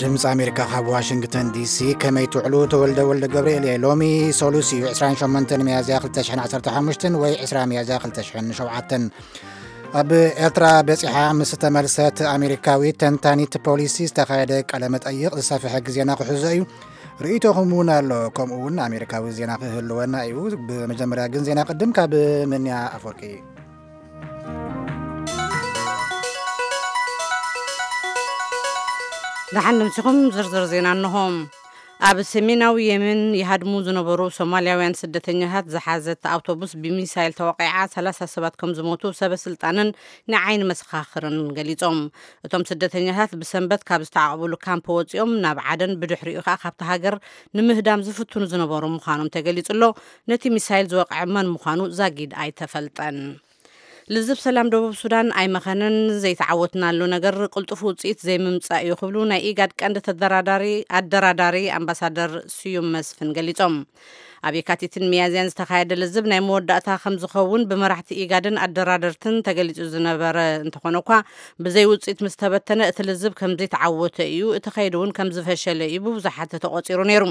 ድምፂ ኣሜሪካ ካብ ዋሽንግተን ዲሲ። ከመይ ትውዕሉ? ተወልደ ወልደ ገብርኤል እየ። ሎሚ ሰሉስ እዩ፣ ዕስራን ሸሞንተን ሚያዝያ ክልተ ሽሕን ዓሰርተ ሓሙሽተን ወይ ዕስራ ሚያዝያ ክልተ ሽሕን ሸውዓተን። ኣብ ኤርትራ በጺሓ ምስ ተመልሰት ኣሜሪካዊት ተንታኒት ፖሊሲ ዝተኻየደ ቃለ መጠይቕ ዝሰፍሐ ግዜና ክሕዞ እዩ። ርእይቶኹም እውን ኣሎ፣ ከምኡ እውን ኣሜሪካዊ ዜና ክህልወና እዩ። ብመጀመርያ ግን ዜና ቅድም ካብ ምንያ ኣፈወርቂ። ደሓን ንምሲኹም። ዝርዝር ዜና እንሆ። ኣብ ሰሜናዊ የመን ይሃድሙ ዝነበሩ ሶማልያውያን ስደተኛታት ዝሓዘት ኣውቶቡስ ብሚሳይል ተወቒዓ ሰላሳ ሰባት ከም ዝሞቱ ሰበ ስልጣንን ንዓይኒ መሰኻኽርን ገሊጾም። እቶም ስደተኛታት ብሰንበት ካብ ዝተዓቑብሉ ካምፕ ወጺኦም ናብ ዓደን፣ ብድሕሪኡ ከኣ ካብቲ ሃገር ንምህዳም ዝፍትኑ ዝነበሩ ምዃኖም ተገሊጹ ኣሎ። ነቲ ሚሳይል ዝወቕዐ መን ምዃኑ ዛጊድ ኣይተፈልጠን። ልዝብ ሰላም ደቡብ ሱዳን ኣይመኸነን፣ ዘይተዓወትናሉ ነገር ቅልጡፍ ውጽኢት ዘይምምጻእ እዩ ክብሉ ናይ ኢጋድ ቀንዲ ተደራዳሪ፣ ኣደራዳሪ ኣምባሳደር ስዩም መስፍን ገሊጾም። ኣብ የካቲትን ሚያዝያን ዝተኻየደ ልዝብ ናይ መወዳእታ ከም ዝኸውን ብመራሕቲ ኢጋድን ኣደራደርትን ተገሊጹ ዝነበረ እንተኾነ እኳ፣ ብዘይ ውጽኢት ምስ ተበተነ እቲ ልዝብ ከም ዘይተዓወተ እዩ፣ እቲ ከይዲ እውን ከም ዝፈሸለ እዩ ብብዙሓት ተቖጺሩ ነይሩ።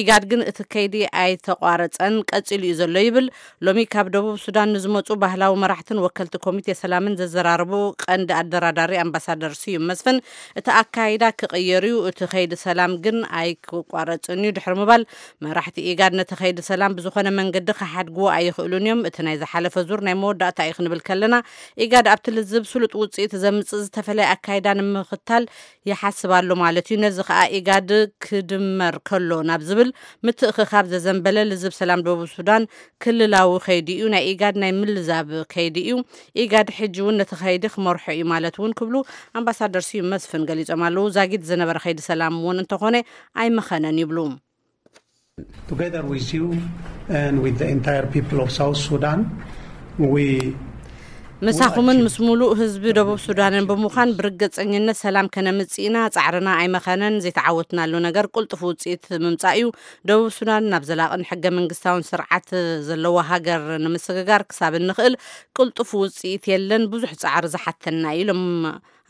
ኢጋድ ግን እቲ ከይዲ ኣይተቋረጸን፣ ቀጺሉ እዩ ዘሎ ይብል። ሎሚ ካብ ደቡብ ሱዳን ንዝመጹ ባህላዊ መራሕትን ወከልቲ ኮሚቴ ሰላምን ዘዘራረቡ ቀንዲ ኣደራዳሪ ኣምባሳደር ስዩም መስፍን፣ እቲ ኣካይዳ ክቕየር እዩ፣ እቲ ከይዲ ሰላም ግን ኣይክቋረጽን እዩ ድሕሪ ምባል፣ መራሕቲ ኢጋድ ነቲ ከይዲ ሰላም ብዝኾነ መንገዲ ክሓድግዎ ኣይኽእሉን እዮም። እቲ ናይ ዝሓለፈ ዙር ናይ መወዳእታ እዩ ክንብል ከለና፣ ኢጋድ ኣብቲ ልዝብ ስሉጥ ውጽኢት ዘምጽእ ዝተፈለየ ኣካይዳ ንምኽታል ይሓስብ ኣሎ ማለት እዩ። ነዚ ከኣ ኢጋድ ክድመር ከሎ ናብ ዝብል ምትእኽኻብ ዘዘንበለ ልዝብ ሰላም ደቡብ ሱዳን ክልላዊ ከይዲ እዩ፣ ናይ ኢጋድ ናይ ምልዛብ ከይዲ እዩ። ኢጋድ ሕጂ እውን ነቲ ከይዲ ክመርሖ እዩ ማለት እውን ክብሉ ኣምባሳደር ስዩም መስፍን ገሊጾም ኣለዉ። ዛጊድ ዝነበረ ከይዲ ሰላም እውን እንተኾነ ኣይመኸነን ይብሉ። Together with you and with the entire people of South Sudan, we ምሳኹምን ምስ ሙሉእ ህዝቢ ደቡብ ሱዳንን ብምዃን ብርግጸኝነት ሰላም ከነምጽእ ኢና። ጻዕርና ኣይመኸነን። ዘይተዓወትናሉ ነገር ቅልጡፍ ውጽኢት ምምጻእ እዩ። ደቡብ ሱዳን ናብ ዘላቕን ሕገ መንግስታውን ስርዓት ዘለዋ ሃገር ንምስግጋር ክሳብ እንኽእል ቅልጡፍ ውጽኢት የለን። ብዙሕ ጻዕሪ ዝሓተና እዩ ኢሎም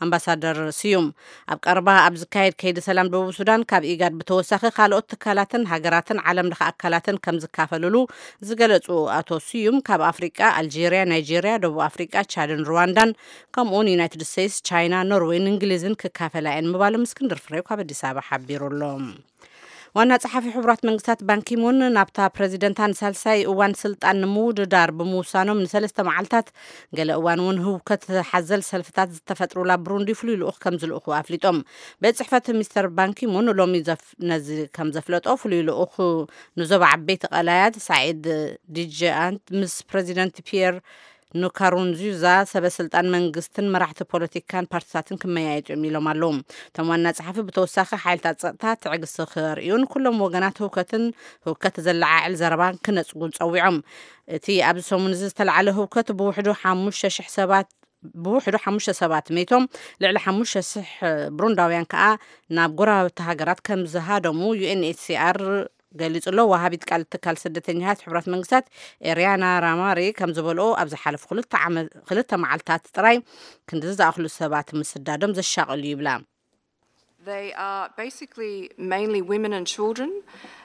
ኣምባሳደር ስዩም። ኣብ ቀረባ ኣብ ዝካየድ ከይዲ ሰላም ደቡብ ሱዳን ካብ ኢጋድ ብተወሳኺ ካልኦት ትካላትን ሃገራትን ዓለም ለኸ ኣካላትን ከም ዝካፈልሉ ዝገለጹ ኣቶ ስዩም፣ ካብ ኣፍሪቃ ኣልጄርያ፣ ናይጄርያ፣ ደቡብ ኣፍሪቃ፣ ቻድን ሩዋንዳን ከምኡውን ዩናይትድ ስቴትስ፣ ቻይና፣ ኖርዌይን እንግሊዝን ክካፈላ እየን ምባሎም እስክንድር ፍሬው ካብ ኣዲስ ኣበባ ሓቢሩ ኣሎ። ዋና ጸሓፊ ሕቡራት መንግስታት ባንኪሙን ናብታ ፕረዚደንታ ንሳልሳይ እዋን ስልጣን ንምውድዳር ብምውሳኖም ንሰለስተ መዓልታት ገለ እዋን እውን ህውከት ሓዘል ሰልፍታት ዝተፈጥሩላ ብሩንዲ ፍሉይ ልኡኽ ከም ዝልእኹ ኣፍሊጦም። ቤት ጽሕፈት ሚስተር ባንኪሙን ሎሚ ዘፍ-፣ ነዚ ከም ዘፍለጦ ፍሉይ ልኡኽ ንዞባ ዓበይቲ ቀላያት ሳዒድ ዲጀኣንት ምስ ፕረዚደንት ፒየር ንካሩንዙዛ ሰበ ስልጣን መንግስትን መራሕቲ ፖለቲካን ፓርቲታትን ክመያየጡ እዮም ኢሎም ኣለዉ። እቶም ዋና ጸሓፊ ብተወሳኺ ሓይልታት ጸጥታ ትዕግስቲ ከርእዩን ኩሎም ወገናት ህውከትን ህውከት ዘለዓዕል ዘረባን ክነጽጉን ጸዊዖም። እቲ ኣብዚ ሰሙን እዚ ዝተላዕለ ህውከት ብውሕዱ ሓሙሽተ ሽሕ ሰባት ብውሕዱ ሓሙሽተ ሰባት መይቶም፣ ልዕሊ ሓሙሽተ ሽሕ ብሩንዳውያን ከኣ ናብ ጎረባብቲ ሃገራት ከም ዝሃደሙ ዩ ኤን ኤች ሲ ኣር ገሊጹ ኣሎ። ወሃቢት ቃል ትካል ስደተኛታት ሕቡራት መንግስታት ኤርያና ራማሪ ከም ዝበልኦ፣ ኣብ ዝሓለፉ ክልተ ዓመት፣ ክልተ መዓልታት ጥራይ ክንዲ ዝኣኽሉ ሰባት ምስዳዶም ዘሻቕል እዩ ይብላ። They are basically mainly women and children,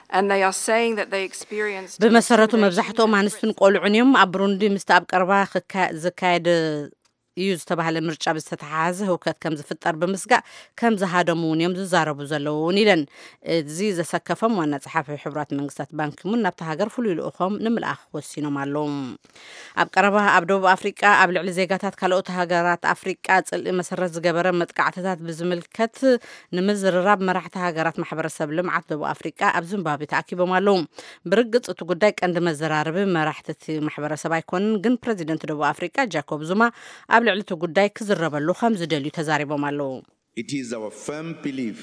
and they are saying that they experienced ብመሰረቱ መብዛሕትኦም ኣንስትን ቆልዑን እዮም። ኣብ ብሩንዲ ምስቲ ኣብ ቀረባ ክካ-፣ ዝካየድ እዩ ዝተባህለ ምርጫ ብዝተተሓሓዘ ህውከት ከም ዝፍጠር ብምስጋእ ከም ዝሃደሙ እውን እዮም ዝዛረቡ ዘለዉ እውን ኢለን። እዚ ዘሰከፎም ዋና ጸሓፊ ሕቡራት መንግስታት ባንኪሙን ናብታ ሃገር ፍሉይ ልኡኾም ንምልኣኽ ወሲኖም ኣለዉ። ኣብ ቀረባ ኣብ ደቡብ ኣፍሪቃ ኣብ ልዕሊ ዜጋታት ካልኦት ሃገራት ኣፍሪቃ ጽልኢ መሰረት ዝገበረ መጥቃዕትታት ብዝምልከት ንምዝርራብ መራሕቲ ሃገራት ማሕበረሰብ ልምዓት ደቡብ ኣፍሪቃ ኣብ ዚምባብዌ ተኣኪቦም ኣለዉ። ብርግጽ እቲ ጉዳይ ቀንዲ መዘራረቢ መራሕቲ እቲ ማሕበረሰብ ኣይኮነን፣ ግን ፕረዚደንት ደቡብ ኣፍሪቃ ጃኮብ ዙማ ኣብ ልዕሊ እቲ ጉዳይ ክዝረበሉ ከም ዝደልዩ ተዛሪቦም ኣለዉ። It is our firm belief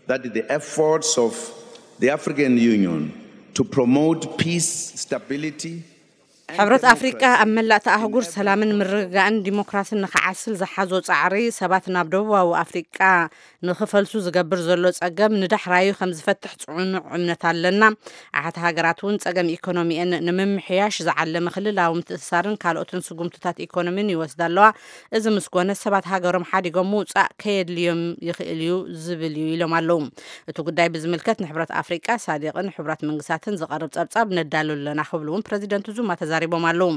that the efforts of the African Union to promote peace, stability, ሕብረት ኣፍሪቃ ኣብ መላእቲ ኣህጉር ሰላምን ምርግጋእን ዲሞክራስን ንኽዓስል ዝሓዞ ጻዕሪ፣ ሰባት ናብ ደቡባዊ ኣፍሪቃ ንኽፈልሱ ዝገብር ዘሎ ጸገም ንዳሕራዩ ከም ዝፈትሕ ጽኑዕ እምነት ኣለና። ኣሓት ሃገራት እውን ጸገም ኢኮኖሚኤን ንምምሕያሽ ዝዓለመ ክልላዊ ምትእስሳርን ካልኦትን ስጉምትታት ኢኮኖሚን ይወስዳ ኣለዋ። እዚ ምስ ኮነ፣ ሰባት ሃገሮም ሓዲጎም ምውጻእ ከየድልዮም ይኽእል እዩ ዝብል እዩ ኢሎም ኣለዉ። እቲ ጉዳይ ብዝምልከት ንሕብረት ኣፍሪቃ፣ ሳዲቕን ሕቡራት መንግስታትን ዝቐርብ ጸብጻብ ነዳሉ ኣለና ክብሉ እውን ፕረዚደንት ዙማ ተዛሪቦም ኣለዉ።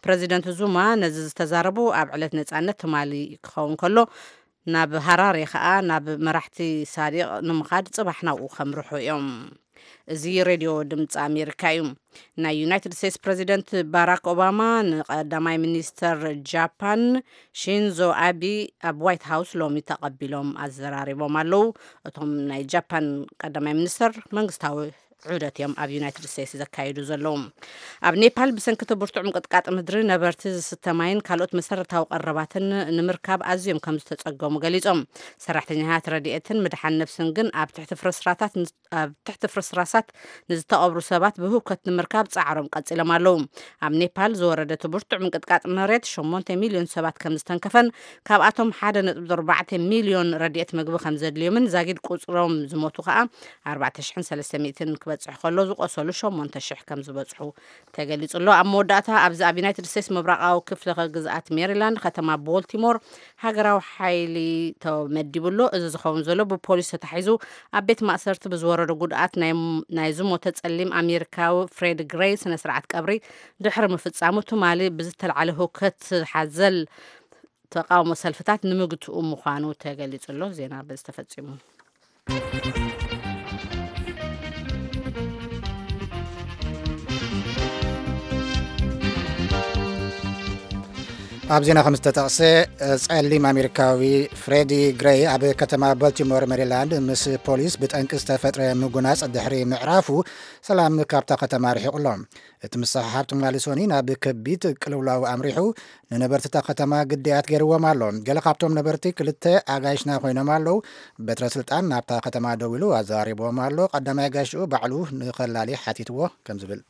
ፕረዚደንት ዙማ ነዚ ዝተዛረቡ ኣብ ዕለት ነጻነት ትማሊ ክኸውን ከሎ፣ ናብ ሃራሬ ከኣ ናብ መራሕቲ ሳዲቕ ንምኻድ ጽባሕ ናብኡ ከምርሑ እዮም። እዚ ሬድዮ ድምፂ ኣሜሪካ እዩ። ናይ ዩናይትድ ስቴትስ ፕረዚደንት ባራክ ኦባማ ንቀዳማይ ሚኒስተር ጃፓን ሺንዞ ኣቢ ኣብ ዋይት ሃውስ ሎሚ ተቐቢሎም ኣዘራሪቦም ኣለዉ። እቶም ናይ ጃፓን ቀዳማይ ሚኒስተር መንግስታዊ ዑደት እዮም ኣብ ዩናይትድ ስቴትስ ዘካይዱ ዘለዉ። ኣብ ኔፓል ብሰንኪ እቲ ብርቱዕ ምቅጥቃጥ ምድሪ ነበርቲ ዝስተ ማይን ካልኦት መሰረታዊ ቀረባትን ንምርካብ ኣዝዮም ከም ዝተጸገሙ ገሊጾም። ሰራሕተኛታት ረድኤትን ምድሓን ነፍስን ግን ኣብ ትሕቲ ፍርስራታት ን-፣ ኣብ ትሕቲ ፍርስራሳት ንዝተቐብሩ ሰባት ብህውከት ንምርካብ ጻዕሮም ቀጺሎም ኣለዉ። ኣብ ኔፓል ዝወረደ እቲ ብርቱዕ ምንቅጥቃጥ መሬት ሸሞንተ ሚልዮን ሰባት ከም ዝተንከፈን፣ ካብኣቶም ሓደ ነጥቢ ኣርባዕተ ሚልዮን ረድኤት ምግቢ ከም ዘድልዮምን ዛጊድ ቁጽሮም ዝሞቱ ከኣ ኣርባዕተ ሽሕን ሰለስተ ሚእትን ክበጽሕ ከሎ፣ ዝቆሰሉ ሸሞንተ ሽሕ ከም ዝበጽሑ ተገሊጹ ኣሎ። ኣብ መወዳእታ፣ ኣብዚ ኣብ ዩናይትድ ስቴትስ ምብራቓዊ ክፍለ ግዝኣት ሜሪላንድ፣ ከተማ ቦልቲሞር፣ ሃገራዊ ሓይሊ ተመዲቡ ኣሎ። እዚ ዝኸውን ዘሎ ብፖሊስ ተታሒዙ ኣብ ቤት ማእሰርቲ ብዝወረዶ ጉድኣት ናይ፣ ናይ ዝሞተ ጸሊም ኣሜሪካዊ ፍሬድ ግሬይ ስነ ስርዓት ቀብሪ ድሕሪ ምፍጻሙ፣ ትማሊ ብዝተልዓለ ህውከት ሓዘል ተቃውሞ ሰልፍታት ንምግትኡ ምዃኑ ተገሊጹ ኣሎ። ዜና በዚ ተፈጺሙ። ኣብ ዜና ከም ዝተጠቕሰ፣ ጸሊም ኣሜሪካዊ ፍሬዲ ግሬይ ኣብ ከተማ ቦልቲሞር ሜሪላንድ ምስ ፖሊስ ብጠንቂ ዝተፈጥረ ምጉናጽ ድሕሪ ምዕራፉ፣ ሰላም ካብታ ከተማ ርሒቑ ኣሎ። እቲ ምስሕሓብ ትማሊ ሶኒ ናብ ከቢድ ቅልውላው ኣምሪሑ፣ ንነበርቲ እታ ከተማ ግዳያት ገይርዎም ኣሎ። ገለ ካብቶም ነበርቲ ክልተ ኣጋይሽና ኮይኖም ኣለዉ። በትረ ስልጣን ናብታ ከተማ ደዊሉ ኣዘራሪብዎም ኣሎ። ቀዳማይ ኣጋይሽኡ ባዕሉ ንኸላሊ ሓቲትዎ ከም ዝብል።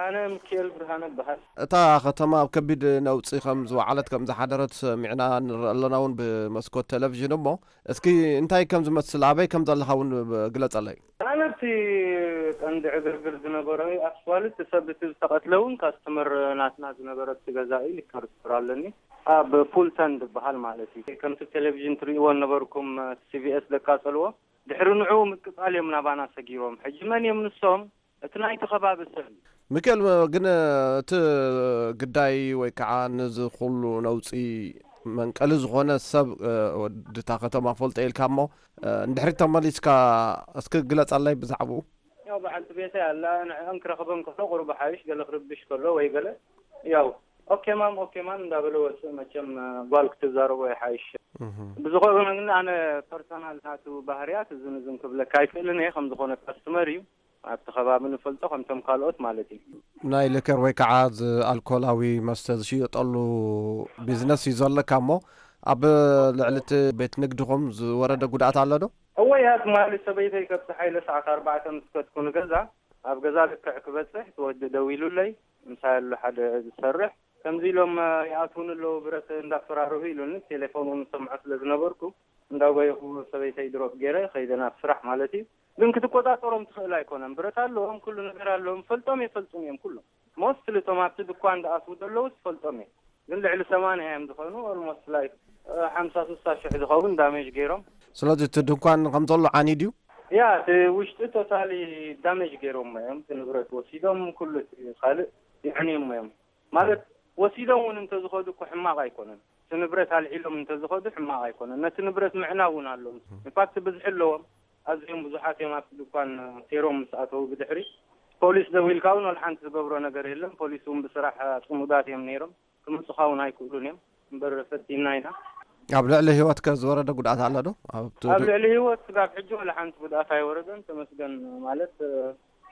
ኣነ ሚካኤል ብርሃነ እበሃል። እታ ከተማ ኣብ ከቢድ ነውጺ ከም ዝወዓለት፣ ከም ዝሓደረት ሰሚዕና ንርኢ ኣለና እውን ብመስኮት ቴሌቪዥን። እሞ እስኪ እንታይ ከም ዝመስል፣ ኣበይ ከም ዘለኻ እውን ግለጸለይ። ኣነ እቲ ቀንዲ ዕግርግር ዝነበረ ኣስፋልት፣ ሰብ እቲ ዝተቐትለ እውን ካስተመር ናትና ዝነበረ እቲ ገዛኢ ሊከር ስቶር ኣለኒ፣ ኣብ ፉልተን ዝበሃል ማለት እዩ። ከምቲ ቴሌቪዥን ትርእይዎ ነበርኩም፣ ሲቪኤስ ደቃጸልዎ። ድሕሪ ንዕኡ ምቅጻል እዮም ናባና ሰጊሮም። ሕጂ መን እዮም ንሶም? እቲ ናይቲ ከባቢ ሰብ እዩ። ሚካኤል፣ ግን እቲ ግዳይ ወይ ከዓ ነዚ ኩሉ ነውፂ መንቀሊ ዝኾነ ሰብ፣ እ፣ ወዲ እታ ከተማ ፈልጦ ኢልካ እሞ፣ እ፣ እንድሕሪ ተመሊስካ እስኪ ግለፀለይ ብዛዕባኡ። ያው በዓልቲ ቤተይ ኣላ፣ ንዕአን ክረኽበን ከሎ ቁሩብ ሓይሽ፣ ገለ ክርብሽ ከሎ ወይ ገለ፣ ያው ኦኬ ማም፣ ኦኬ ማም እንዳበለ ወፅእ። መቸም ጓል ክትዛረቦ ይሓይሽ። እህ። ብዝኾነ ግን ኣነ ፐርሰናል ናቱ ባህርያት እዝን እዝን ክብለካ ኣይክእልን እየ፣ ከም ዝኾነ ካስተመር እዩ። ኣብቲ ከባቢ ንፈልጦ ከምቶም ካልኦት ማለት እዩ። ናይ ልከር ወይ ከዓ ዝ-፣ ኣልኮላዊ መስተ ዝሽየጠሉ ቢዝነስ እዩ ዘለካ እሞ፣ ኣብ ልዕሊ እቲ ቤት ንግድኹም ዝወረደ ጉድኣት ኣሎ ዶ? እወ፣ እያ ትማሊ ሰበይተይ ከብቲ ሓይለ ሰዓት ኣርባዕተ ምስ ከድኩ ንገዛ፣ ኣብ ገዛ ልክዕ ክበጽሕ እቲ ወዲ ደዊሉለይ፣ ምሳይ ኣሎ ሓደ ዝሰርሕ፣ ከምዚ ኢሎም፣ እ፣ ይኣትዉኒ ኣለዉ፣ ብረት እንዳፈራርሁ ኢሉኒ፣ ቴሌፎን እውን ዝሰምዖ ስለ ዝነበርኩ፣ እንዳጎየኹ ሰበይተይ ድሮፕ ገይረ ከይደ ናብ ስራሕ ማለት እዩ። ግን ክትቆጻጸሮም ትኽእል ኣይኮነን። ብረት ኣለዎም፣ ኩሉ ነገር ኣለዎም፣ ፈልጦም የፈልጡን እዮም ኩሎም። ሞስትሊ እቶም ኣብቲ ድኳን ዝኣትዉ ዘለዉ ዝፈልጦም እዮም። ግን ልዕሊ ሰማንያ እዮም ዝኾኑ፣ ኦልሞስት ላይክ፣ እ፣ ሓምሳ ስሳ ሽሕ ዝኸውን ዳሜጅ ገይሮም። ስለዚ እቲ ድኳን ከም ዘሎ ዓንዩ ድዩ? ያ፣ እቲ ውሽጢ ቶታሊ ዳሜጅ ገይሮም እዮም። እቲ ንብረት ወሲዶም፣ ኩሉ እቲ ካልእ የዕንዮም እዮም። ማለት ወሲዶም እውን እንተዝኸዱ እኮ ሕማቕ ኣይኮነን። እቲ ንብረት ኣልዒሎም እንተዝኸዱ ሕማቕ ኣይኮነን። ነቲ ንብረት ምዕናው እውን ኣለዎም። ኢንፋክት ብዝሒ ኣለዎም። ኣዝዮም ብዙሓት እዮም ኣብቲ ድኳን ሴሮም ምስ ኣተዉ ብድሕሪ። ፖሊስ ደዊልካ እውን ወላ ሓንቲ ዝገብሮ ነገር የለን። ፖሊስ እውን ብስራሕ ጽሙዳት እዮም ነይሮም። ክመጹኻ እውን ኣይክእሉን እዮም። እምበር ፈቲና ኢና። ኣብ ልዕሊ ህይወትከ ዝወረደ ጉድኣት ኣሎ ዶ? ኣብቲ ኣብ ዱ- ልዕሊ ህይወት ስጋብ ሕጂ ወላ ሓንቲ ጉድኣት ኣይወረደን። ተመስገን ማለት፣ እ፣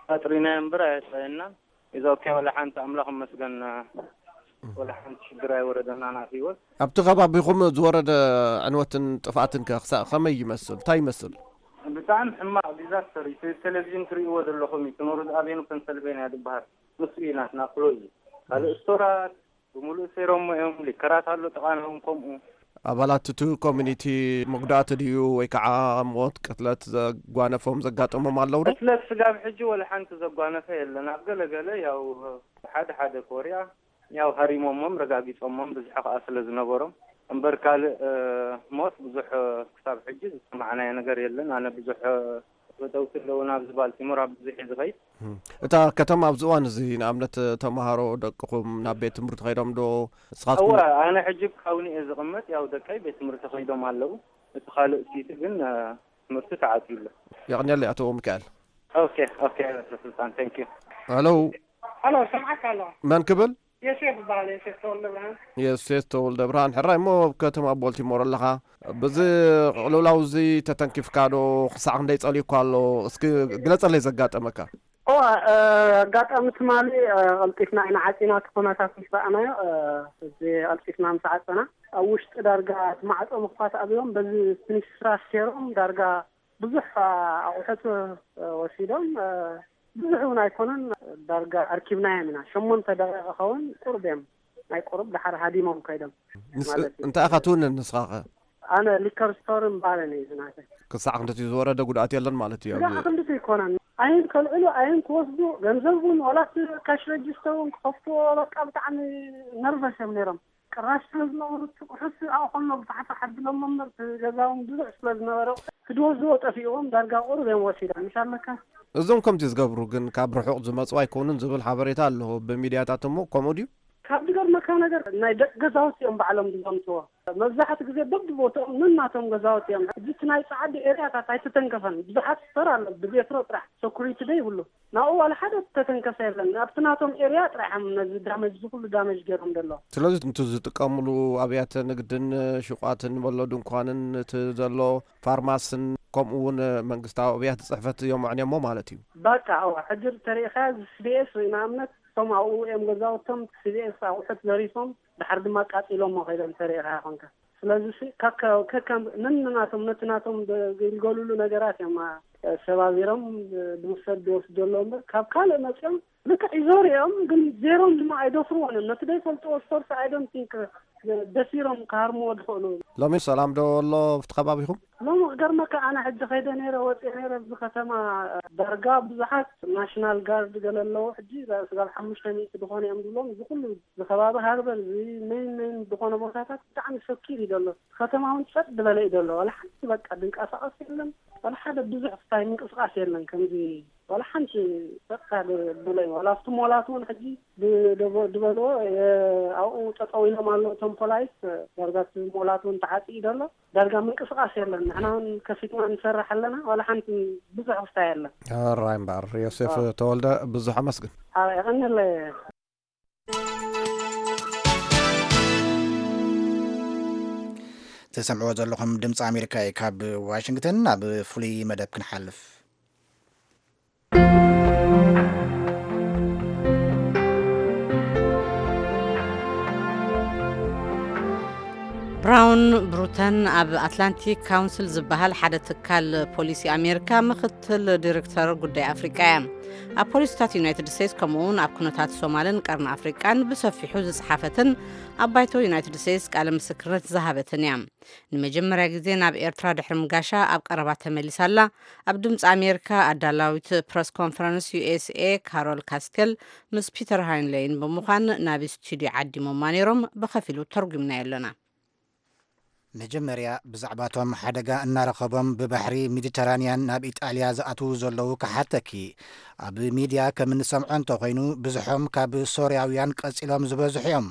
ኣጥሪናዮ እምበር ኣየጥረየናን። ኢዝ ኦኬ፣ ወላ ሓንቲ ኣምላኽ ይመስገን፣ ወላ ሓንቲ ሽግር ኣይወረደናን ኣብ ህይወት። ኣብቲ ከባቢኹም ዝወረደ ዕንወትን ጥፍኣትን ከ ክሳዕ ከመይ ይመስል? እንታይ ይመስል? ብጣዕሚ ሕማቕ ዲዛስተር እዩ። እቲ ቴሌቪዥን ትርእይዎ ዘለኹም እዩ። እቲ ኖርዝ ኣቬኑ ፐንሰልቬንያ ዝበሃል ንሱ እዩ ናትና ክሎዝ። ካልእ ስቶራት ብምሉእ ሰይሮሞ እዮም። ሊከራት ኣሎ ጥቓና እውን ከምኡ። ኣባላት እቲ ኮሚኒቲ መጉዳእቲ ድዩ ወይ ከዓ ሞት ቅትለት ዘጓነፎም ዘጋጠሞም ኣለዉ ዶ? ቅትለት ስጋብ ሕጂ ወላ ሓንቲ ዘጓነፈ የለን። ኣብ ገለ ገለ ያው ሓደ ሓደ ኮርያ ያው ሃሪሞሞም ረጋጊጾሞም ብዙሕ ከኣ ስለ ዝነበሮም እምበር ካልእ እ፣ ሞት ብዙሕ እ፣ ክሳብ ሕጂ ዝሰማዕናዮ ነገር የለን። ኣነ ብዙሕ እ፣ ተፈተውቲ ኣለዉ ናብዚ ባልቲሞር ኣብ ብዙሕ እየ ዝኸይድ። እም። እታ ከተማ ኣብዚ እዋን እዚ ንኣብነት ተምሃሮ ደቅኹም ናብ ቤት ትምህርቲ ከይዶም ዶ? ንስኻትኩም እወ፣ ኣነ ሕጂ ካውኒ እየ ዝቕመጥ። ያው ደቀይ ቤት ትምህርቲ ከይዶም ኣለዉ። እቲ ካልእ ሲቲ ግን እ፣ ትምህርቲ ተዓጽዩ ኣሎ። የቐንየለይ ኣቶ ሚካኤል። ኦኬ፣ ኦኬ፣ ኣቶ ስልጣን፣ ቴንክ ዩ። ሄሎ። ሄሎ፣ ሰምዓካ ኣለኹ። መን ክብል? ዮሴፍ ይበሃል፣ ዮሴፍ ተወልደ ብርሃን። ዮሴፍ ተወልደ ብርሃን፣ ሕራይ እሞ ኣብ ከተማ ቦልቲሞር ኣለኻ። ብዚ ቅልውላው እዚ ተተንኪፍካ ዶ? ክሳዕ ክንደይ ጸልዩካ ኣሎ? እስኪ ግለጸለይ ዘጋጠመካ። እዋ፣ እ፣ ኣጋጣሚ ትማሊ፣ እ፣ ቀልጢፍና ኢና ዓጺና፣ እቲ ኩነታት ምስ ረኣናዮ፣ እ፣ እዚ ቀልጢፍና ምስ ዓጸና፣ ኣብ ውሽጢ ዳርጋ እቲ ማዕጾ ምኽፋት ኣብዮም፣ በዚ ፊኒስትራ ሴሮም ዳርጋ ብዙሕ ኣቑሑት ወሲዶም፣ ብዙሕ እውን ኣይኮነን፣ ዳርጋ ኣርኪብናዮም ኢና። ሸሞንተ ደቂቕ ኸውን ቁሩብ እዮም፣ ናይ ቁሩብ ደሓር ሃዲሞም ከይዶም ንስ-፣ ማለት እዩ። እንታይ ኢኻ ትውንን ንስኻ ኸ? ኣነ ሊከር ስቶርን ባርን እዩ ዝናተይ። ክሳዕ ክንድቲ ዝወረደ ጉድኣት የለን ማለት እዩ ስጋዕ ኣብዚ? ክንድቲ ኣይኮነን። ኣይን ከልዕሉ፣ ኣይን ክወስዱ፣ ገንዘብ እውን ዋላ እቲ ካሽ ረጅስተር እውን ክኸፍትዎ በቃ ብጣዕሚ ነርቨስ እዮም ነይሮም። ቅራሽ ስለ ዝነበሩ እቲ ቁሑስ ኣብኡ ከሎ ብፋሕፋሕ ኣቢሎሞ እምበር እቲ ገዛ እውን ብዙሕ ስለ ዝነበረ ክድወዝዎ ጠፊእዎም ዳርጋ ቁሩብ እዮም ወሲዶም። ምሽ ኣለካ? እዞም ከምዚ ዝገብሩ ግን ካብ ርሑቕ ዝመጹ ኣይኮኑን ዝብል ሓበሬታ ኣሎ ብሚድያታት እሞ ከምኡ ድዩ? ካብ ዝገርመካ ነገር ናይ ደቂ ገዛውቲ እዮም ባዕሎም ዝዘምትዎ። መብዛሕትኡ ግዜ በብቦትኦም ነናቶም ገዛውቲ እዮም። ሕጂ እቲ ናይ ጸዓዲ ኤርያታት ኣይተተንከፈን። ብዙሓት ስቶር ኣሎ ብቤትሮ ጥራሕ ሰኩሪቲ ዶ ይብሉ። ናብኡ ዋላ ሓደ ዝተተንከፈ የለን። ኣብቲ ናቶም ኤርያ ጥራሕ እዮም ነዚ ዳመጅ፣ እዚ ኩሉ ዳመጅ ገይሮም ዘሎ። ስለዚ እቲ ዝጥቀምሉ ኣብያተ ንግድን ሹቋትን በሎ ድንኳንን እቲ ዘሎ ፋርማስን ከምኡ እውን መንግስታዊ ኣብያተ ጽሕፈት እዮም ኣዕንዮሞ ማለት እዩ። በቃ፣ እዋ፣ ሕጂ ተሪኢኻ እዚ ሲቢኤስ ወይ ንኣብነት እቶም ኣብኡ እዮም ገዛውቶም ሲቢኤስ ኣቑሑት ዘሪፎም ድሓር ድማ ኣቃጺሎሞ ከይዶም ተሪኢኻ ኮንካ። ስለዚ ሲ ከከ-፣ ከከም ነንናቶም ነቲ ናቶም ደ-፣ ዝግልገሉሉ ነገራት እዮም፣ አ፣ ሰባቢሮም፣ እ፣ ዝውሰድ ዝወስዱ ዘለዉ እምበር ካብ ካልእ መጺኦም ልክዕ ይዞሩ እዮም፣ ግን ዜሮም ድማ ኣይደፍርዎን እዮም። ነቲ ዘይፈልጥዎ ሶርስ I don't think፣ እ፣ ደፊሮም ክሃርምዎ ዝኽእሉ። ሎሚ ሰላም ዶ ኣሎ ኣብቲ ከባቢኹም? ሎሚ ክገርመካ ኣነ ሕጂ ከይደ ነይረ፣ ወጺአ ነይረ፣ ኣብዚ ከተማ ዳርጋ ብዙሓት ናሽናል ጋርድ ገለ ኣለዉ። ሕጂ ስጋብ ሓሙሽተ ሚእቲ ዝኾነ እዮም ዝብሎም። እዚ ኩሉ እዚ ከባቢ ሃርበር፣ እዚ ሜይን ሜይን ዝኾነ ቦታታት ብጣዕሚ ሰኪር እዩ ዘሎ። ከተማ እውን ጸጥ ዝበለ እዩ ዘሎ። ዋላ ሓንቲ በቃ ድንቀሳቐስ የለን። ዋላ ሓደ ብዙሕ ስታይ ምንቅስቓስ የለን። ከምዚ ዋላ ሓንቲ ጸጥታ ድ-፣ ዝበለ እዩ። ዋላ ኣብቲ ሞላት እውን ሕጂ ድ-፣ ድበ-፣ ድበልዎ፣ የ-፣ ኣብኡ ጠጠው ኢሎም ኣለዉ እቶም ፖላይስ። ዳርጋ እቲ ሞላት እውን ተዓጽዩ ዘሎ። ዳርጋ ምንቅስቓስ የለን። ንሕና እውን ከፊትና ንሰርሕ ኣለና። ዋላ ሓንቲ ብዙሕ ክስታይ የለን። ሕራይ እምበኣር ዮሴፍ ኣዎ። ተወልደ ብዙሕ ኣመስግን። ኣዎ፣ የቐንየለይ። ትሰምዕዎ ዘለኹም ድምፂ ኣሜሪካ እዩ። ካብ ዋሽንግተን ናብ ፍሉይ መደብ ክንሓልፍ። ብራውን ብሩተን ኣብ ኣትላንቲክ ካውንስል ዝበሃል ሓደ ትካል ፖሊሲ ኣሜሪካ ምክትል ዲሬክተር ጉዳይ ኣፍሪቃ እያ። ኣብ ፖሊሲታት ዩናይትድ ስቴትስ ከምኡ እውን ኣብ ኩነታት ሶማልን ቀርኒ ኣፍሪቃን ብሰፊሑ ዝጸሓፈትን ኣብ ባይቶ ዩናይትድ ስቴትስ ቃለ ምስክርነት ዝሃበትን እያ። ንመጀመርያ ግዜ ናብ ኤርትራ ድሕሪ ምጋሻ ኣብ ቀረባ ተመሊሳ ኣላ። ኣብ ድምፂ ኣሜሪካ ኣዳላዊት ፕረስ ኮንፈረንስ ዩ ኤስ ኤ ካሮል ካስቴል ምስ ፒተር ሃይንሌይን ብምዃን ናብ ስቱድዮ ዓዲሞማ ነይሮም። ብኸፊሉ ተርጉምናዮ ኣለና። መጀመርያ ብዛዕባቶም ሓደጋ እናረኸቦም ብባሕሪ ሜዲተራንያን ናብ ኢጣልያ ዝኣትዉ ዘለዉ ክሓተኪ። ኣብ ሚድያ ከም እንሰምዖ እንተኾይኑ፣ ብዙሖም ካብ ሶርያውያን ቀጺሎም ዝበዝሑ እዮም።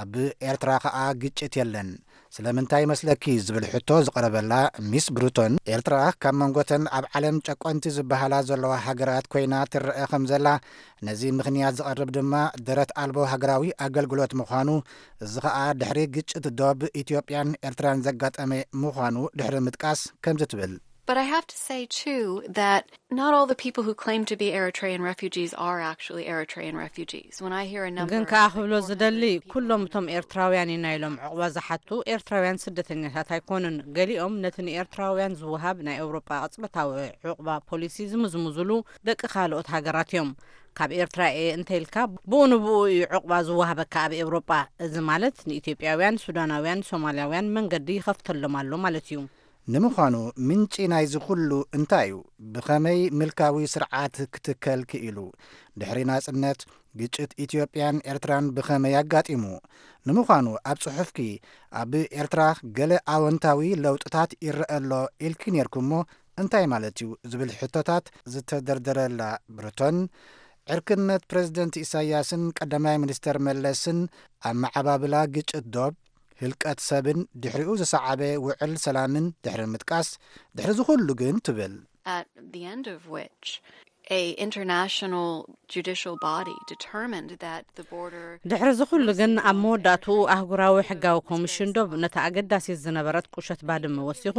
ኣብ ኤርትራ ኸኣ ግጭት የለን። ስለምንታይ ይመስለኪ? ዝብል ሕቶ ዝቐረበላ ሚስ ብሩቶን፣ ኤርትራ ካብ መንጎተን ኣብ ዓለም ጨቆንቲ ዝበሃላ ዘለዋ ሃገራት ኮይና ትረአ ከም ዘላ፣ ነዚ ምኽንያት ዝቐርብ ድማ ደረት ኣልቦ ሃገራዊ ኣገልግሎት ምዃኑ፣ እዚ ኸኣ ድሕሪ ግጭት ዶብ ኢትዮጵያን ኤርትራን ዘጋጠመ ምዃኑ ድሕሪ ምጥቃስ ከምዚ ትብል። But I have to say, too, that not all the people who claim to be Eritrean refugees are actually Eritrean refugees. When I hear a number ግን of ከኣ like ክብሎ four hundred ዝደሊ people ኩሎም እቶም ኤርትራውያን ኢና ኢሎም ዕቑባ ዝሓቱ ኤርትራውያን ስደተኛታት ኣይኮኑን። ገሊኦም ነቲ ንኤርትራውያን ዝወሃብ ናይ ኤውሮጳ ቅጽበታዊ ዕቑባ ፖሊሲ ዝምዝምዙሉ ደቂ ካልኦት ሃገራት እዮም። ካብ ኤርትራ እየ እንተ ኢልካ ብኡ ንብኡ እዩ ዕቑባ ዝወሃበካ ኣብ ኤውሮጳ። እዚ ማለት ንኢትዮጵያውያን፣ ሱዳናውያን፣ ሶማልያውያን መንገዲ ይኸፍተሎም ኣሎ ማለት እዩ። ንምዃኑ ምንጪ ናይዚ ኩሉ እንታይ እዩ? ብኸመይ ምልካዊ ስርዓት ክትከል ክኢሉ? ድሕሪ ናጽነት ግጭት ኢትዮጵያን ኤርትራን ብኸመይ ኣጋጢሙ? ንምዃኑ ኣብ ጽሑፍኪ ኣብ ኤርትራ ገለ ኣወንታዊ ለውጥታት ይረአ ኣሎ ኢልኪ ኔርኩሞ እንታይ ማለት እዩ ዝብል ሕቶታት ዝተደርደረላ ብርቶን ዕርክነት ፕረዚደንት ኢሳያስን ቀዳማይ ሚኒስተር መለስን ኣብ መዓባብላ ግጭት ዶብ ህልቀት ሰብን ድሕሪኡ ዝሰዓበ ውዕል ሰላምን ድሕሪ ምጥቃስ ድሕሪ ዝኹሉ ግን ትብል at the end of which a international judicial body determined that the border ድሕሪ ዝኹሉ ግን ኣብ መወዳእትኡ ኣህጉራዊ ሕጋዊ ኮሚሽን ዶብ ነታ ኣገዳሲት ዝነበረት ቁሸት ባድመ ወሲኹ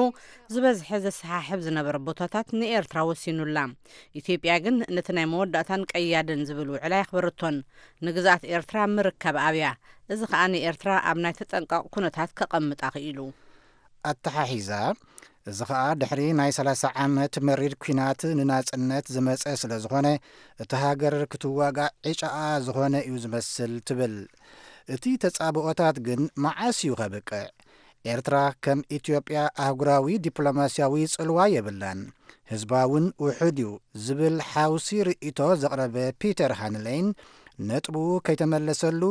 ዝበዝሐ ዘሰሓሕብ ዝነበረ ቦታታት ንኤርትራ ወሲኑላ። ኢትዮጵያ ግን ነቲ ናይ መወዳእታን ቀያድን ዝብል ውዕል ኣየኽበረቶን። ንግዝኣት ኤርትራ ምርካብ ኣብያ። እዚ ከኣ ንኤርትራ ኣብ ናይ ተጠንቀቕ ኩነታት ከቐምጣ ክኢሉ። ኣተሓሒዛ። እዚ ኸኣ ድሕሪ ናይ ሰላሳ ዓመት መሪር ኲናት ንናጽነት ዝመጸ ስለ ዝኾነ እቲ ሃገር ክትዋጋእ ዕጫኣ ዝኾነ እዩ ዝመስል ትብል። እቲ ተጻብኦታት ግን መዓስ እዩ ከብቅዕ? ኤርትራ ከም ኢትዮጵያ ኣህጉራዊ ዲፕሎማስያዊ ጽልዋ የብላን። ህዝባውን ውሑድ እዩ ዝብል ሓውሲ ርእይቶ ዘቕረበ ፒተር ሃንሌይን ነጥቡ ከይተመለሰሉ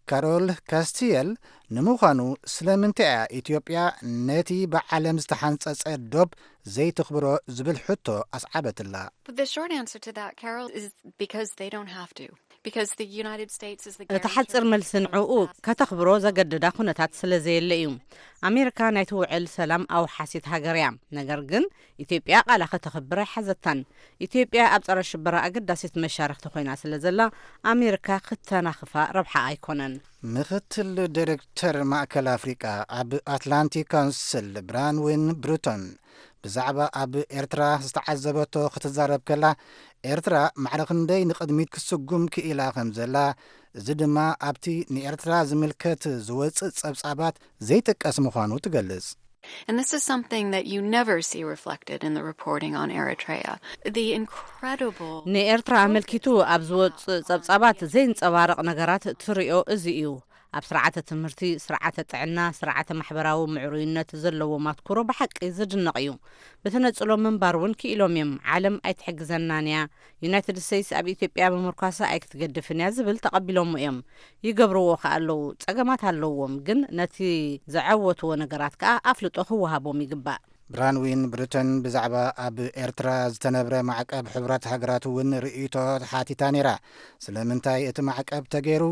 ካሮል ካስቲየል ንምዃኑ ስለምንታይ እያ ኢትዮጵያ ነቲ ብዓለም ዝተሓንጸጸ ዶብ ዘይትኽብሮ ዝብል ሕቶ ኣስዓበትላ። But the short answer to that, Carol, is because they don't have to. Because the United States is the እቲ ሓፂር መልሲ ንዕኡ ከተኽብሮ ዘገድዳ ኩነታት ስለ ዘየለ እዩ። ኣሜሪካ ናይቲ ውዕል ሰላም ኣውሓሲት ሃገር እያ። ነገር ግን ኢትዮጵያ ቃላ ከተኽብር ኣይሓዘታን። ኢትዮጵያ ኣብ ፀረ ሽበራ ኣገዳሲት መሻርክቲ ኮይና ስለ ዘላ ኣሜሪካ ክተናኽፋ ረብሓ ኣይኮነን። ምክትል ዳይሬክተር ማእከል ኣፍሪቃ ኣብ ኣትላንቲክ ካውንስል ብራንዊን ብሩቶን ብዛዕባ ኣብ ኤርትራ ዝተዓዘበቶ ክትዛረብ ከላ ኤርትራ ማዕረ ክንደይ ንቕድሚት ክስጉም ክኢላ ከም ዘላ፣ እዚ ድማ ኣብቲ ንኤርትራ ዝምልከት ዝወጽእ ጸብጻባት ዘይጥቀስ ምዃኑ ትገልጽ። And this is something that you never see reflected in the reporting on Eritrea. The incredible ንኤርትራ ኣመልኪቱ ኣብ ዝወፅእ ጸብጻባት ዘይንጸባረቕ ነገራት ትሪኦ እዚ እዩ። ኣብ ስርዓተ ትምህርቲ፣ ስርዓተ ጥዕና፣ ስርዓተ ማሕበራዊ ምዕሩይነት ዘለዎም ኣትኩሮ ብሓቂ ዝድነቕ እዩ። ብተነጽሎ ምንባር እውን ክኢሎም እዮም። ዓለም ኣይትሕግዘናን እያ፣ ዩናይትድ ስቴትስ ኣብ ኢትዮጵያ ምምርኳሳ ኣይክትገድፍን እያ ዝብል ተቐቢሎሞ እዮም። ይገብርዎ ከኣ ኣለዉ። ጸገማት ኣለዎም፣ ግን ነቲ ዘዐወትዎ ነገራት ከኣ ኣፍልጦ ክወሃቦም ይግባእ። ብራንዊን ብሩቶን ብዛዕባ ኣብ ኤርትራ ዝተነብረ ማዕቀብ ሕቡራት ሃገራት እውን ርእይቶ ሓቲታ ነይራ። ስለምንታይ እቲ ማዕቀብ ተገይሩ?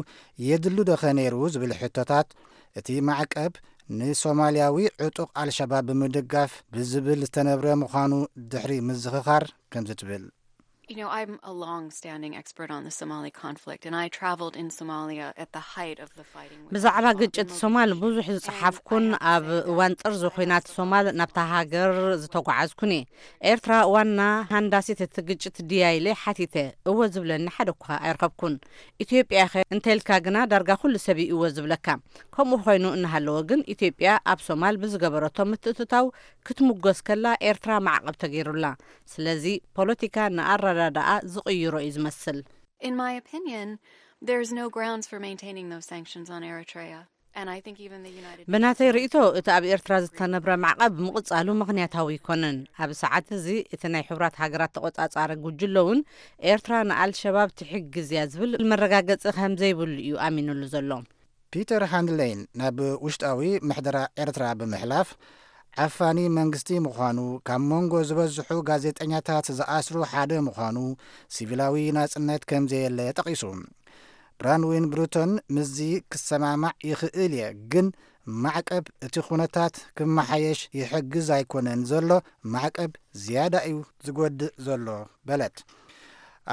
የድሉ ዶኸ ነይሩ? ዝብል ሕቶታት፣ እቲ ማዕቀብ ንሶማልያዊ ዕጡቕ ኣልሸባብ ብምድጋፍ ብዝብል ዝተነብረ ምዃኑ ድሕሪ ምዝኽኻር ከምዚ ትብል። You know, I'm a long-standing expert on the Somali conflict, and I traveled in Somalia at the height of the fighting. With ብዛዕባ Al-Shabaab ግጭት in ሶማል Mogadishu. ብዙሕ ዝጸሓፍኩን ኣብ እዋን ጥርዚ ኹናት ሶማል ናብታ ሃገር ዝተጓዓዝኩን እየ። ኤርትራ ዋና ሃንዳሲት እቲ ግጭት ድያ ኢለ ሓቲተ፣ እወ ዝብለኒ ሓደ እኳ ኣይረኸብኩን። ኢትዮጵያ ኸ እንተልካ ግና ዳርጋ ኩሉ ሰብ እዩ እወ ዝብለካ። ከምኡ ኮይኑ እናሃለወ ግን ኢትዮጵያ ኣብ ሶማል ብዝገበረቶ ምትእትታው ክትምጎስ ከላ ኤርትራ ማዕቐብ ተገይሩላ። ስለዚ ፖለቲካ ንኣረዳድኣ ዝቕይሮ እዩ ዝመስል። In my opinion, there's no grounds for maintaining those sanctions on Eritrea. And I think even the United ብናተይ Nations ርእይቶ እቲ ኣብ ኤርትራ ዝተነብረ ማዕቐብ ምቕጻሉ ምኽንያታዊ ኣይኮነን። ኣብ ሰዓት እዚ እቲ ናይ ሕቡራት ሃገራት ተቖጻጻሪ ጉጅለ እውን ኤርትራ ንኣልሸባብ ትሕግዝ እያ ዝብል መረጋገጺ ከም ዘይብሉ እዩ ኣሚኑሉ ዘሎ። ፒተር ሃንድሌን ናብ ውሽጣዊ ምሕደራ ኤርትራ ብምሕላፍ ዓፋኒ መንግስቲ ምዃኑ፣ ካብ መንጎ ዝበዝሑ ጋዜጠኛታት ዝኣስሩ ሓደ ምዃኑ፣ ሲቪላዊ ናጽነት ከም ዘየለ ጠቒሱ። ብራንዊን ብሩቶን ምስዚ ክሰማማዕ ይኽእል እየ፣ ግን ማዕቀብ እቲ ኩነታት ክመሓየሽ ይሕግዝ ኣይኮነን ዘሎ፣ ማዕቀብ ዝያዳ እዩ ዝጎድእ ዘሎ በለት።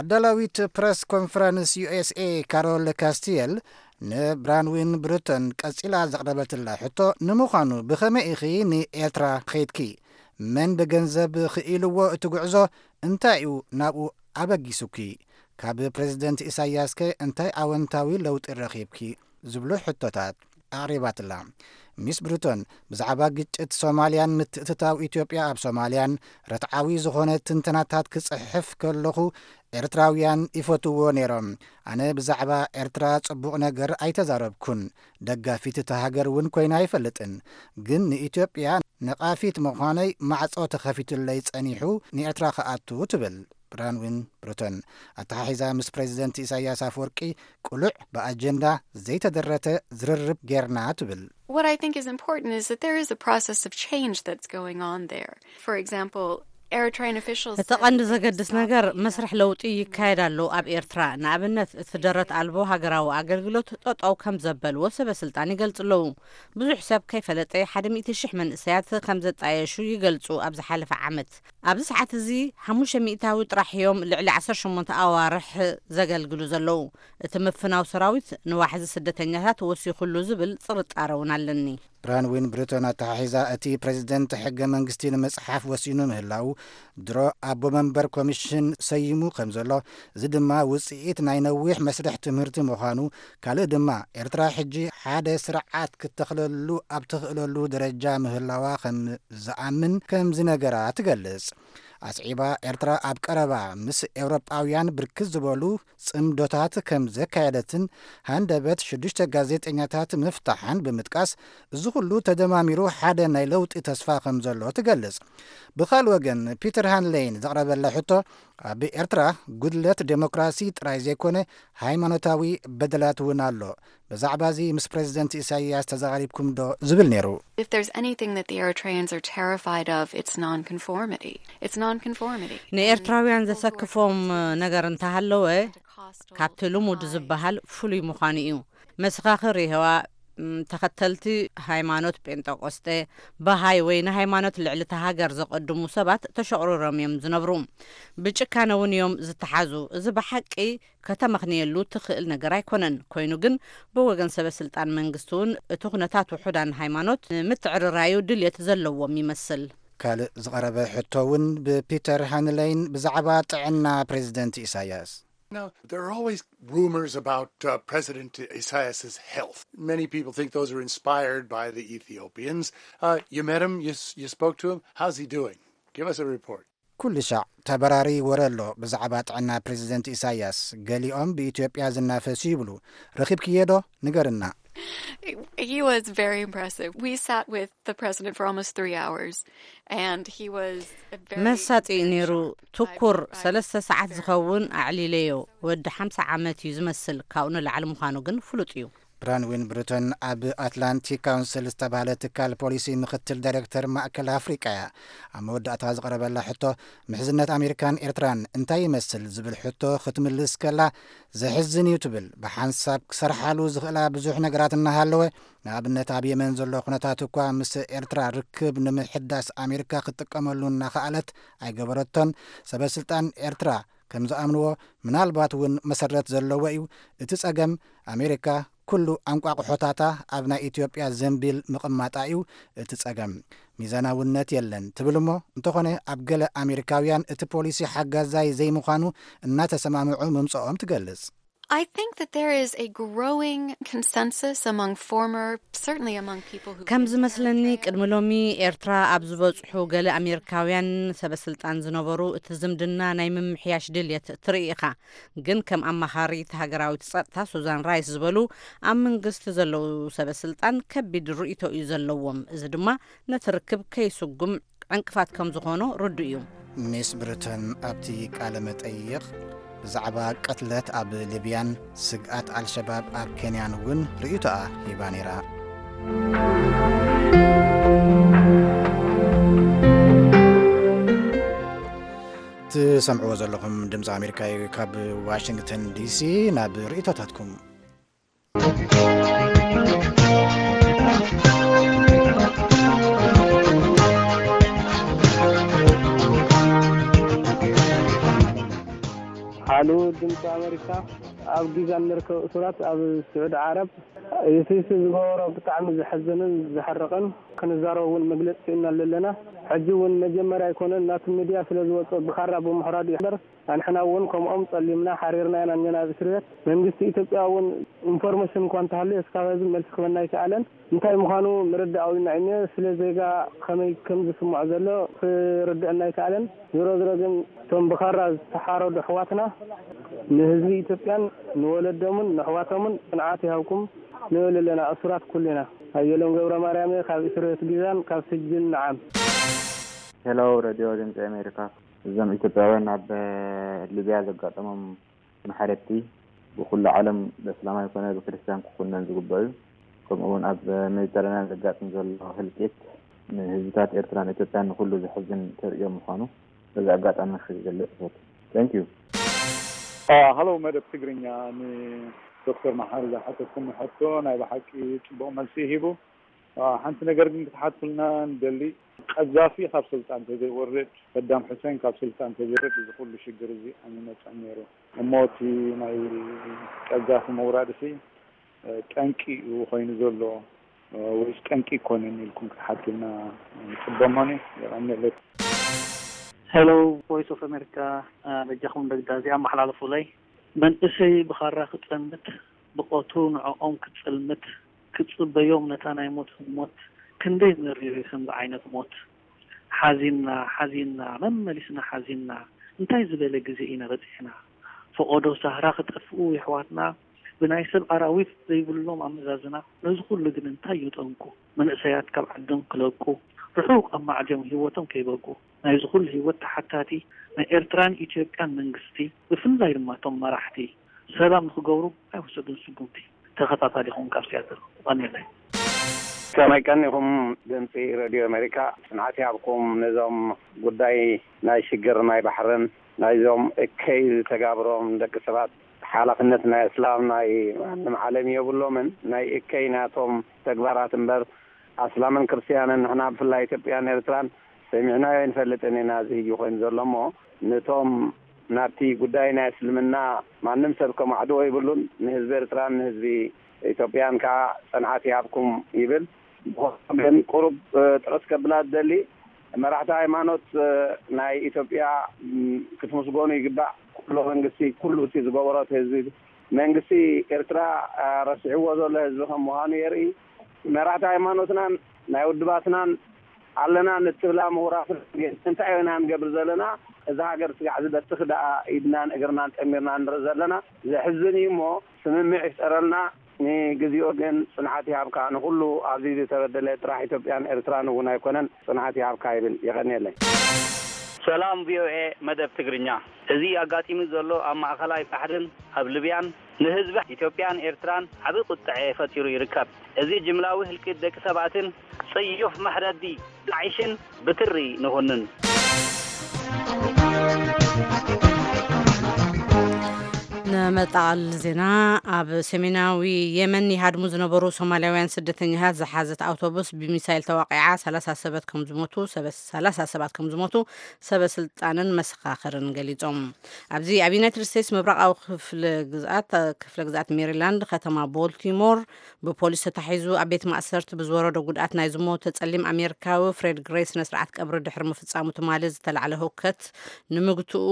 ኣዳላዊት ፕረስ ኮንፈረንስ ዩ ኤስ ኤ ካሮል ካስቲየል ንብራንዊን ብሩቶን ቀጺላ ዘቕረበትላ ሕቶ፣ ንምዃኑ ብኸመይ ኢኺ ንኤርትራ ኸይድኪ? መን ብገንዘብ ክኢልዎ እቲ ጉዕዞ? እንታይ እዩ ናብኡ ኣበጊሱኪ? ካብ ፕሬዝደንት ኢሳያስከ እንታይ ኣወንታዊ ለውጢ ረኺብኪ? ዝብሉ ሕቶታት ኣቕሪባትላ። ሚስ ብሩቶን ብዛዕባ ግጭት ሶማልያን ምትእትታው ኢትዮጵያ ኣብ ሶማልያን ርትዓዊ ዝኾነ ትንተናታት ክጽሕፍ ከለኹ ኤርትራውያን ይፈትዎ ነይሮም። ኣነ ብዛዕባ ኤርትራ ጽቡቕ ነገር ኣይተዛረብኩን። ደጋፊት እታ ሃገር እውን ኮይና ኣይፈልጥን። ግን ንኢትዮጵያ ነቓፊት ምዃነይ ማዕጾ ተኸፊቱለይ ጸኒሑ ንኤርትራ ክኣቱ ትብል ብራንዊን ብሩቶን። ኣተሓሒዛ ምስ ፕሬዚደንት ኢሳያስ ኣፈወርቂ ቅሉዕ ብኣጀንዳ ዘይተደረተ ዝርርብ ጌርና ትብል። What I think is important is that there is a process of change that's going on there. For example, Eritrean officials እቲ ቀንዲ ዘገድስ ነገር መስርሕ ለውጢ ይካየድ ኣሎ ኣብ ኤርትራ። ንኣብነት እቲ ደረት ኣልቦ ሃገራዊ ኣገልግሎት ጠጠው ከም ዘበልዎ ሰበ ስልጣን ይገልጹ ኣለዉ። ብዙሕ ሰብ ከይፈለጠ ሓደ ሚእቲ ሽሕ መንእሰያት ከም ዘጣየሹ ይገልጹ ኣብ ዝሓለፈ ዓመት። ኣብዚ ሰዓት እዚ ሓሙሽተ ሚእታዊ ጥራሕ እዮም ልዕሊ ዓሰርተ ሸሞንተ ኣዋርሕ ዘገልግሉ ዘለዉ። እቲ ምፍናው ሰራዊት ንዋሕዚ ስደተኛታት ወሲኹሉ ዝብል ጥርጣረ እውን ኣለኒ። ብራንዊን ብሪቶን ኣተሓሒዛ እቲ ፕሬዚደንት ሕገ መንግስቲ ንምጽሓፍ ወሲኑ ምህላው ድሮ ኣቦ መንበር ኮሚሽን ሰይሙ ከም ዘሎ፣ እዚ ድማ ውጽኢት ናይ ነዊሕ መስርሕ ትምህርቲ ምዃኑ፣ ካልእ ድማ ኤርትራ ሕጂ ሓደ ስርዓት ክትተኽለሉ ኣብ ትኽእለሉ ደረጃ ምህላዋ ከም ዝኣምን ከም ዝነገራ ትገልጽ። ኣስዒባ ኤርትራ ኣብ ቀረባ ምስ ኤውሮጳውያን ብርክት ዝበሉ ጽምዶታት ከም ዘካየደትን ሃንደበት ሽዱሽተ ጋዜጠኛታት ምፍታሓን ብምጥቃስ፣ እዚ ኩሉ ተደማሚሩ ሓደ ናይ ለውጢ ተስፋ ከም ዘሎ ትገልጽ። ብኻል ወገን ፒተር ሃንሌይን ዘቕረበላ ሕቶ ኣብ ኤርትራ ጉድለት ዴሞክራሲ ጥራይ ዘይኮነ ሃይማኖታዊ በደላት እውን ኣሎ። ብዛዕባ እዚ ምስ ፕሬዚደንት ኢሳይያስ ተዘራሪብኩም ዶ ዝብል ነይሩ። If there's anything that the Eritreans are terrified of, it's nonconformity. It's nonconformity. ንኤርትራውያን ዘሰክፎም ነገር እንተሃለወ ካብቲ ልሙድ ዝበሃል ፍሉይ ምዃኑ እዩ። መሰኻኽር የሆዋ ተኸተልቲ ሃይማኖት ጴንጠቆስጤ፣ ባሃይ ወይ ንሃይማኖት ልዕሊ እታ ሃገር ዘቐድሙ ሰባት ተሸቑሪሮም እዮም ዝነብሩ። ብጭካነ እውን እዮም ዝተሓዙ። እዚ ብሓቂ ከተመኽንየሉ ትኽእል ነገር ኣይኮነን። ኮይኑ ግን ብወገን ሰበ ስልጣን መንግስቲ እውን እቲ ኩነታት ውሑዳን ሃይማኖት ንምትዕርራዩ ድልየት ዘለዎም ይመስል። ካልእ ዝቐረበ ሕቶ እውን ብፒተር ሃንለይን ብዛዕባ ጥዕና ፕሬዚደንት ኢሳያስ። Now, there are always rumors about uh, President Isaias's health. Many people think those are inspired by the Ethiopians. Uh, you met him, you, s- you spoke to him. How's he doing? Give us a report. ኩሉ ሻዕ ተበራሪ ወረ ኣሎ ብዛዕባ ጥዕና ፕሬዚደንት ኢሳያስ። ገሊኦም ብኢትዮጵያ ዝናፈሱ ይብሉ። ረኺብክዮ ዶ? ንገርና። He was very impressive. We sat with the president for almost three hours, and he was very, መሳጢ እዩ very ነይሩ። shocked. ትኩር I- I ሰለስተ was ሰዓት very ዝኸውን ኣዕሊለዮ። ወዲ ሓምሳ ዓመት እዩ ዝመስል። ካብኡ ንላዕሊ ምዃኑ ግን ፍሉጥ እዩ። ብራንዊን ብሩቶን ኣብ ኣትላንቲክ ካውንስል ዝተባህለ ትካል ፖሊሲ ምክትል ዳይሬክተር ማእከል ኣፍሪቃ እያ። ኣብ መወዳእታ ዝቐረበላ ሕቶ፣ ምሕዝነት ኣሜሪካን ኤርትራን እንታይ ይመስል ዝብል ሕቶ ክትምልስ ከላ፣ ዘሕዝን እዩ ትብል። ብሓንሳብ ክሰርሓሉ ዝኽእላ ብዙሕ ነገራት እናሃለወ፣ ንኣብነት ኣብ የመን ዘሎ ኩነታት እኳ ምስ ኤርትራ ርክብ ንምሕዳስ ኣሜሪካ ክትጥቀመሉ እናኸኣለት ኣይገበረቶን። ሰበ ስልጣን ኤርትራ ከም ዝኣምንዎ፣ ምናልባት እውን መሰረት ዘለዎ እዩ። እቲ ጸገም ኣሜሪካ ኩሉ ኣንቋቑሖታታ ኣብ ናይ ኢትዮጵያ ዘንቢል ምቕማጣ እዩ እቲ ጸገም። ሚዛናውነት የለን ትብል እሞ፣ እንተኾነ ኣብ ገለ ኣሜሪካውያን እቲ ፖሊሲ ሓጋዛይ ዘይምዃኑ እናተሰማምዑ ምምጽኦም ትገልጽ። I think that there is a growing consensus among former, certainly among people who ከም ዝመስለኒ ቅድሚ ሎሚ ኤርትራ ኣብ ዝበጽሑ ገለ ኣሜሪካውያን ሰበ ስልጣን ዝነበሩ እቲ ዝምድና ናይ ምምሕያሽ ድልየት ትርኢ ኢኻ። ግን ከም ኣማኻሪት ሃገራዊት ጸጥታ ሱዛን ራይስ ዝበሉ ኣብ መንግስቲ ዘለዉ ሰበ ስልጣን ከቢድ ርእይቶ እዩ ዘለዎም። እዚ ድማ ነቲ ርክብ ከይስጉም ዕንቅፋት ከም ዝኾኖ ርዱእ እዩ። ሚስ ብሪተን ኣብቲ ቃለ መጠይቕ ብዛዕባ ቅትለት ኣብ ሊብያን ስግኣት ኣልሸባብ ኣብ ኬንያን እውን ርእይቶኣ ሂባ ነይራ። ትሰምዕዎ ዘለኹም ድምፂ ኣሜሪካ እዩ። ካብ ዋሽንግተን ዲሲ ናብ ርእይቶታትኩም። ሓሉ ድምፂ ኣሜሪካ፣ ኣብ ጊዛ እንርከብ እሱራት ኣብ ስዑዲ ዓረብ እቲ ዝገበሮ ብጣዕሚ ዘሐዘንን ዘሕርቕን፣ ክንዛረብ እውን መግለፂ ስኢንናሉ ኣለና። ሕጂ እውን መጀመርያ ኣይኮነን፣ ናቱ ሚድያ ስለ ዝወፀ ብኻራ ብምሕራዱ እዩ እምበር፣ ኣንሕና እውን ከምኦም ፀሊምና ሓሪርና ኢና እኒና ኣብ እስር ቤት። መንግስቲ ኢትዮጵያ እውን ኢንፎርሜሽን እኳ እንተሃልዩ እስካብ ሕዚ መልሲ ክበና ኣይከኣለን። እንታይ ምዃኑ ምርዳእ ኣውዩና እዩ እኒኦ። ስለ ዜጋ ከመይ ከም ዝስምዖ ዘሎ ክርድአና ኣይከኣለን። ዝሮ ዝሮ ግን እቶም ብኻራ ዝተሓረዱ ኣሕዋትና ንህዝቢ ኢትዮጵያን ንወለዶምን ንኣሕዋቶምን ጽንዓት ይሃብኩም ንብል ኣለና። እሱራት ኩሉ ኢና። ኣየሎም ገብረ ማርያም እየ፣ ካብ እስር ቤት ጊዛን ካብ ስጅን ንዓም። ሄሎ፣ ሬድዮ ድምፂ ኣሜሪካ። እዞም ኢትዮጵያውያን ኣብ ሊብያ ዘጋጠሞም ማሕረድቲ ብኩሉ ዓለም በእስላማይ ኮነ ብክርስትያን ክኹነን ዝግባእ እዩ። ከምኡ እውን ኣብ ሜዲተራንያን ዘጋጥም ዘሎ ህልቂት ንህዝብታት ኤርትራን ኢትዮጵያን ንኩሉ ዘሕዝን ተርእዮ ምዃኑ በዚ ኣጋጣሚ ክገልጽ እፈቱ። Thank you። ሃሎ መደብ ትግርኛ፣ ንዶክተር መሓሪ ዝሓተትኩም ሕቶ ናይ ብሓቂ ጽቡቕ መልሲ ሂቡ። ሓንቲ ነገር ግን ክትሓትኩልና ንደሊ። ቀዛፊ ካብ ስልጣን ተዘይወርድ፣ ሰዳም ሑሴን ካብ ስልጣን ተዘይወርድ እዚ ኩሉ ሽግር እዚ ኣይምመፀን ነይሩ። እሞ እቲ ናይ ቀዛፊ ምውራድ ሲ ጠንቂ እዩ ኮይኑ ዘሎ ወይስ ጠንቂ ይኮነን ኢልኩም ክትሓትልና ንፅበ። ሞኒ የቐንየለይ። ሄሎ፣ ቮይስ ኦፍ ኣሜሪካ፣ በጃኹም ደግዳ እዚኣ ኣመሓላልፉለይ። መንእሰይ ብኻራ ክፀምት፣ ብቐትሩ ንዕኦም ክፅልምት፣ ክፅበዮም ነታ ናይ ሞት ህሞት። ክንደይ መሪር እዩ ከምዚ ዓይነት ሞት። ሓዚንና ሓዚንና መመሊስና ሓዚንና። እንታይ ዝበለ ግዜ ኢና በፂሕና። ፈቐዶ ሳህራ ክጠፍኡ የሕዋትና። ብናይ ሰብ ኣራዊት ዘይብሎም ኣመዛዝና። ነዚ ኩሉ ግን እንታይ እዩ ጠንቁ። መንእሰያት ካብ ዓዶም ክለቁ፣ ርሑቕ ኣብ ማዕዶም ህይወቶም ከይበቁ። ናይዚ ኩሉ ህይወት ተሓታቲ ናይ ኤርትራን ኢትዮጵያን መንግስቲ፣ ብፍላይ ድማ እቶም መራሕቲ ሰላም ንክገብሩ ኣይወሰዱን ስጉምቲ። ተኸታታሊኹም ካብ ሲያትል። የቐንየለይ። ከመይ ቀኒኹም ድምፂ ሬድዮ ኣሜሪካ? ጽንዓት ይሃብኩም። ነዞም ጉዳይ ናይ ሽግር ናይ ባሕርን ናይዞም እከይ ዝተጋብሮም ደቂ ሰባት ሓላፍነት ናይ እስላም ናይ ማንም ዓለም የብሎምን። ናይ እከይ ናቶም ተግባራት እምበር ኣስላምን ክርስትያንን ንሕና ብፍላይ ኢትዮጵያን ኤርትራን ሰሚዕናዮ ኣይንፈልጥን ኢና። እዚ ህጂ ኮይኑ ዘሎ እሞ ነቶም ናብቲ ጉዳይ ናይ እስልምና ማንም ሰብ ከማዕድዎ ይብሉን። ንህዝቢ ኤርትራን ንህዝቢ ኢትዮጵያን ከዓ ጽንዓት ይሃብኩም ይብል። ብኾነ ግን ቁሩብ ጥረት ከብላ ዝደሊ መራሕቲ ሃይማኖት ናይ ኢትዮጵያ ክትምስገኑ ይግባእ። ኩሎ መንግስቲ ኩሉ እቲ ዝገበሮ እቲ ህዝቢ መንግስቲ ኤርትራ ረሲዕዎ ዘሎ ህዝቢ ከም ምዃኑ የርኢ። መራሕቲ ሃይማኖትናን ናይ ውድባትናን ኣለና ንትብላ ምሁራት ግን እንታይ ኢና ንገብር ዘለና? እዛ ሃገር ስጋዕ ዝበትኽ ደኣ ኢድናን እግርናን ጠሚርና ንርኢ ዘለና። ዘሕዝን እዩ እሞ ስምምዕ ይፍጠረልና። ንግዚኡ ግን ጽንዓት ይሃብካ። ንኹሉ ኣብዚ ዝተበደለ ጥራሕ ኢትዮጵያን ኤርትራን እውን ኣይኮነን። ጽንዓት ይሃብካ ይብል። የቐንየለይ። ሰላም ቪኦኤ መደብ ትግርኛ። እዚ ኣጋጢሙ ዘሎ ኣብ ማእኸላይ ባሕርን ኣብ ልብያን ንህዝቢ ኢትዮጵያን ኤርትራን ዓቢ ቁጥዐ ፈጢሩ ይርከብ። እዚ ጅምላዊ ህልቂት ደቂ ሰባትን ጽዩፍ መሕረዲ ዳዒሽን ብትሪ ንኹንን። ንመጣል ዜና። ኣብ ሰሜናዊ የመን ይሃድሙ ዝነበሩ ሶማልያውያን ስደተኛታት ዝሓዘት ኣውቶቡስ ብሚሳይል ተዋቂዓ ሰላሳ ሰባት ከም ዝሞቱ ሰላሳ ሰባት ከም ዝሞቱ ሰበ ስልጣንን መሰኻኽርን ገሊጾም። ኣብዚ ኣብ ዩናይትድ ስቴትስ ምብራቓዊ ክፍለ ግዝኣት ክፍለ ግዝኣት ሜሪላንድ ከተማ ቦልቲሞር ብፖሊስ ተታሒዙ ኣብ ቤት ማእሰርቲ ብዝወረዶ ጉድኣት ናይ ዝሞተ ጸሊም ኣሜሪካዊ ፍሬድ ግሬይ ስነ ስርዓት ቀብሪ ድሕሪ ምፍጻሙ ትማሊ ዝተላዕለ ህውከት ንምግትኡ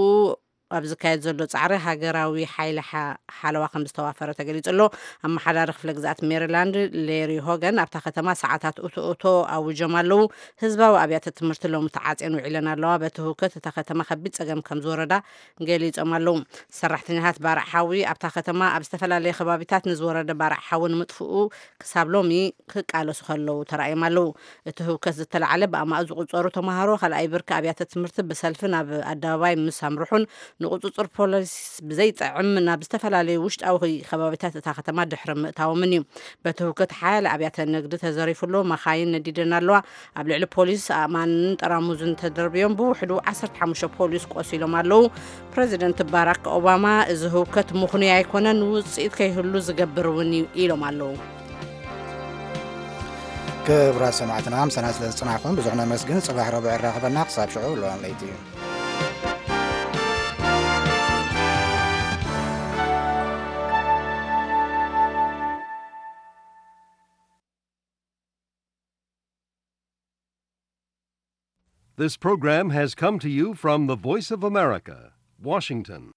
ኣብ ዝካየድ ዘሎ ጻዕሪ ሃገራዊ ሓይሊ ሓለዋ ከም ዝተዋፈረ ተገሊጹ ኣሎ። ኣመሓዳሪ ክፍለ ግዝኣት ሜሪላንድ ሌሪ ሆገን ኣብታ ከተማ ሰዓታት እቶ እቶ ኣውጆም ኣለዉ። ህዝባዊ ኣብያተ ትምህርቲ ሎሚ ተዓጽየን ውዒለን ኣለዋ። በቲ ህውከት እታ ከተማ ከቢድ ጸገም ከም ዝወረዳ ገሊጾም ኣለዉ። ሰራሕተኛታት ባርዕ ሓዊ ኣብታ ከተማ ኣብ ዝተፈላለየ ከባቢታት ንዝወረደ ባርዕ ሓዊ ንምጥፍኡ ክሳብ ሎሚ ክቃለሱ ከለዉ ተራእዮም ኣለዉ። እቲ ህውከት ዝተላዕለ ብኣማኡ ዝቑጸሩ ተምሃሮ ካልኣይ ብርኪ ኣብያተ ትምህርቲ ብሰልፊ ናብ ኣደባባይ ምስ ኣምርሑን ንቁጽጽር ፖሊስ ብዘይጥዕም ናብ ዝተፈላለዩ ውሽጣዊ ከባቢታት እታ ከተማ ድሕሪ ምእታዎምን እዩ። በቲ ህውከት ሓያለ ኣብያተ ንግዲ ተዘሪፉ ኣሎ፣ መኻይን ነዲደን ኣለዋ። ኣብ ልዕሊ ፖሊስ ኣእማንን ጠራሙዝን ተደርብዮም ብውሕዱ ዓሰርተ ሓሙሽተ ፖሊስ ቆሲሎም ኣለዉ። ፕረዚደንት ባራክ ኦባማ እዚ ህውከት ምኽኑይ ኣይኮነን፣ ውጽኢት ከይህሉ ዝገብር እውን እዩ ኢሎም ኣለዉ። ክቡራት ሰማዕትና ምሳና ስለ ዝጽናሕኩም ብዙሕ ነመስግን። ጽባሕ ረቡዕ የራኽበና። ክሳብ ሽዑ ልዋም ለይቲ እዩ። This program has come to you from the Voice of America, Washington.